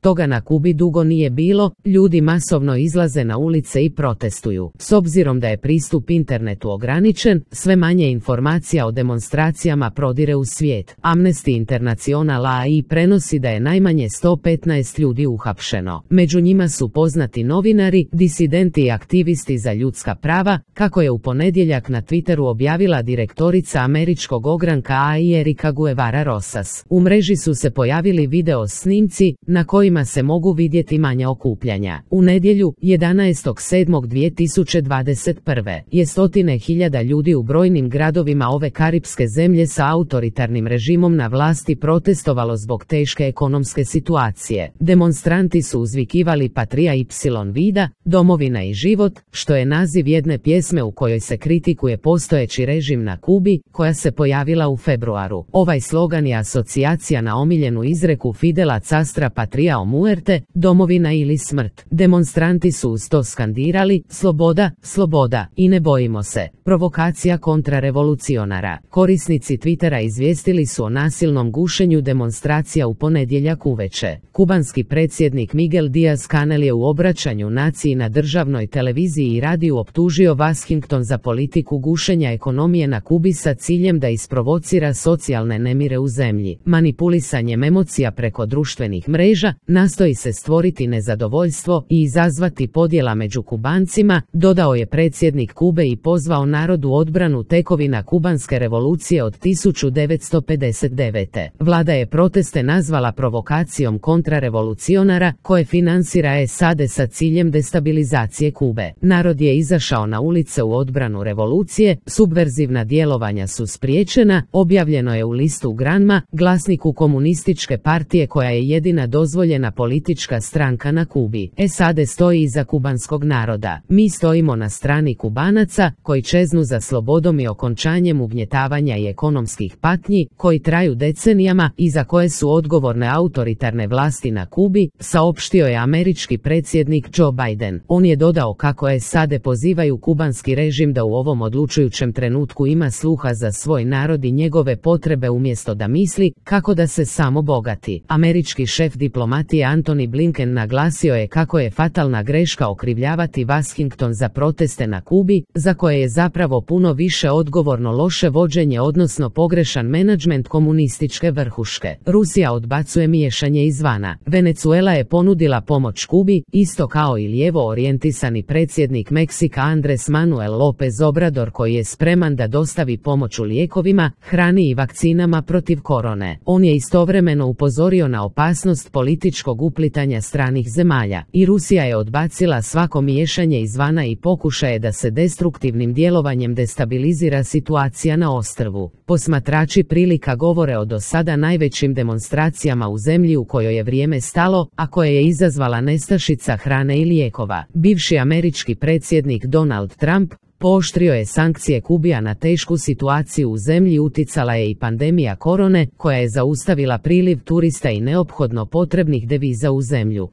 Toga na Kubi dugo nije bilo, ljudi masovno izlaze na ulice i protestuju. S obzirom da je pristup internetu ograničen, sve manje informacija o demonstracijama prodire u svijet. Amnesty International AI prenosi da je najmanje 115 ljudi uhapšeno. Među njima su poznati novinari, disidenti i aktivisti za ljudska prava, kako je u ponedjeljak na Twitteru objavila direktorica američkog ogranka AI Erika Guevara Rosas. U mreži su se pojavili video snimci na kojima se mogu vidjeti manja okupljanja. U nedjelju, 11.7.2021. je stotine hiljada ljudi u brojnim gradovima ove karipske zemlje sa autoritarnim režimom na vlasti protestovalo zbog teške ekonomske situacije. Demonstranti su uzvikivali Patria y vida, domovina i život, što je naziv jedne pjesme u kojoj se kritikuje postojeći režim na Kubi, koja se pojavila u februaru. Ovaj slogan je asocijacija na omiljenu izreku Fidela Castra Patria o muerte, domovina ili smrt. Demonstranti su uz to skandirali, sloboda, sloboda, i ne bojimo se. Provokacija kontrarevolucionara. Korisnici Twittera izvijestili su o nasilnom gušenju demonstracija u ponedjeljak uveče. Kubanski predsjednik Miguel Díaz-Canel je u obraćanju naciji na državnoj televiziji i radiju optužio Washington za politiku gušenja ekonomije na Kubi sa ciljem da isprovocira socijalne nemire u zemlji. Manipulisanjem emocija preko društvenih mreža nastoji se stvoriti nezadovoljstvo i izazvati podjela među Kubancima, dodao je predsjednik Kube i pozvao narod u odbranu tekovina kubanske revolucije od 1959. Vlada je proteste nazvala provokacijom kontrarevolucionara koje financira SAD sa ciljem destabilizacije Kube. Narod je izašao na ulice u odbranu revolucije, subverzivna djelovanja su spriječena, objavljeno je u listu Granma, glasniku komunističke partije koja je jedina dozvoljena politička stranka na Kubi. SAD stoji iza kubanskog naroda. Mi stojimo na strani Kubanaca, koji čeznu za slobodom i okončanjem ugnjetavanja i ekonomskih patnji, koji traju decenijama i za koje su odgovorne autoritarne vlasti na Kubi, saopštio je američki predsjednik Joe Biden. On je dodao kako SAD pozivaju kubanski režim da u ovom odlučujućem trenutku ima sluha za svoj narod i njegove potrebe umjesto da misli kako da se samo bogati. Američki šef diplomatije Antony Blinken naglasio je kako je fatalna greška okrivljavati Washington za proteste na Kubi, za koje je zapravo puno više odgovorno loše vođenje odnosno pogrešan menadžment komunističke vrhuške. Rusija odbacuje miješanje izvana. Venezuela je ponudila pomoć Kubi, isto kao i lijevo orijentisani predsjednik Meksika Andrés Manuel López Obrador koji je spreman da dostavi pomoć u lijekovima, hrani i vakcinama protiv korone. On je istovremeno upozorio na opasnost političkog uplitanja stranih zemalja. I Rusija je odbacila svako miješanje izvana i pokušaje da se destruktivnim djelovanjem destabilizira situacija na ostrvu. Posmatrači prilika govore o do sada najvećim demonstracijama u zemlji u kojoj je vrijeme stalo, a koje je izazvala nestašica hrane i lijekova. Bivši američki predsjednik Donald Trump pooštrio je sankcije Kubi, a na tešku situaciju u zemlji uticala je i pandemija korone, koja je zaustavila priliv turista i neophodno potrebnih deviza u zemlju.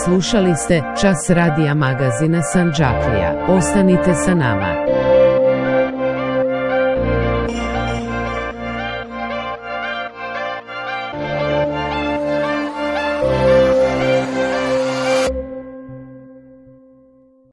Slušali ste Čas radija magazina Sandžaklija. Ostanite sa nama.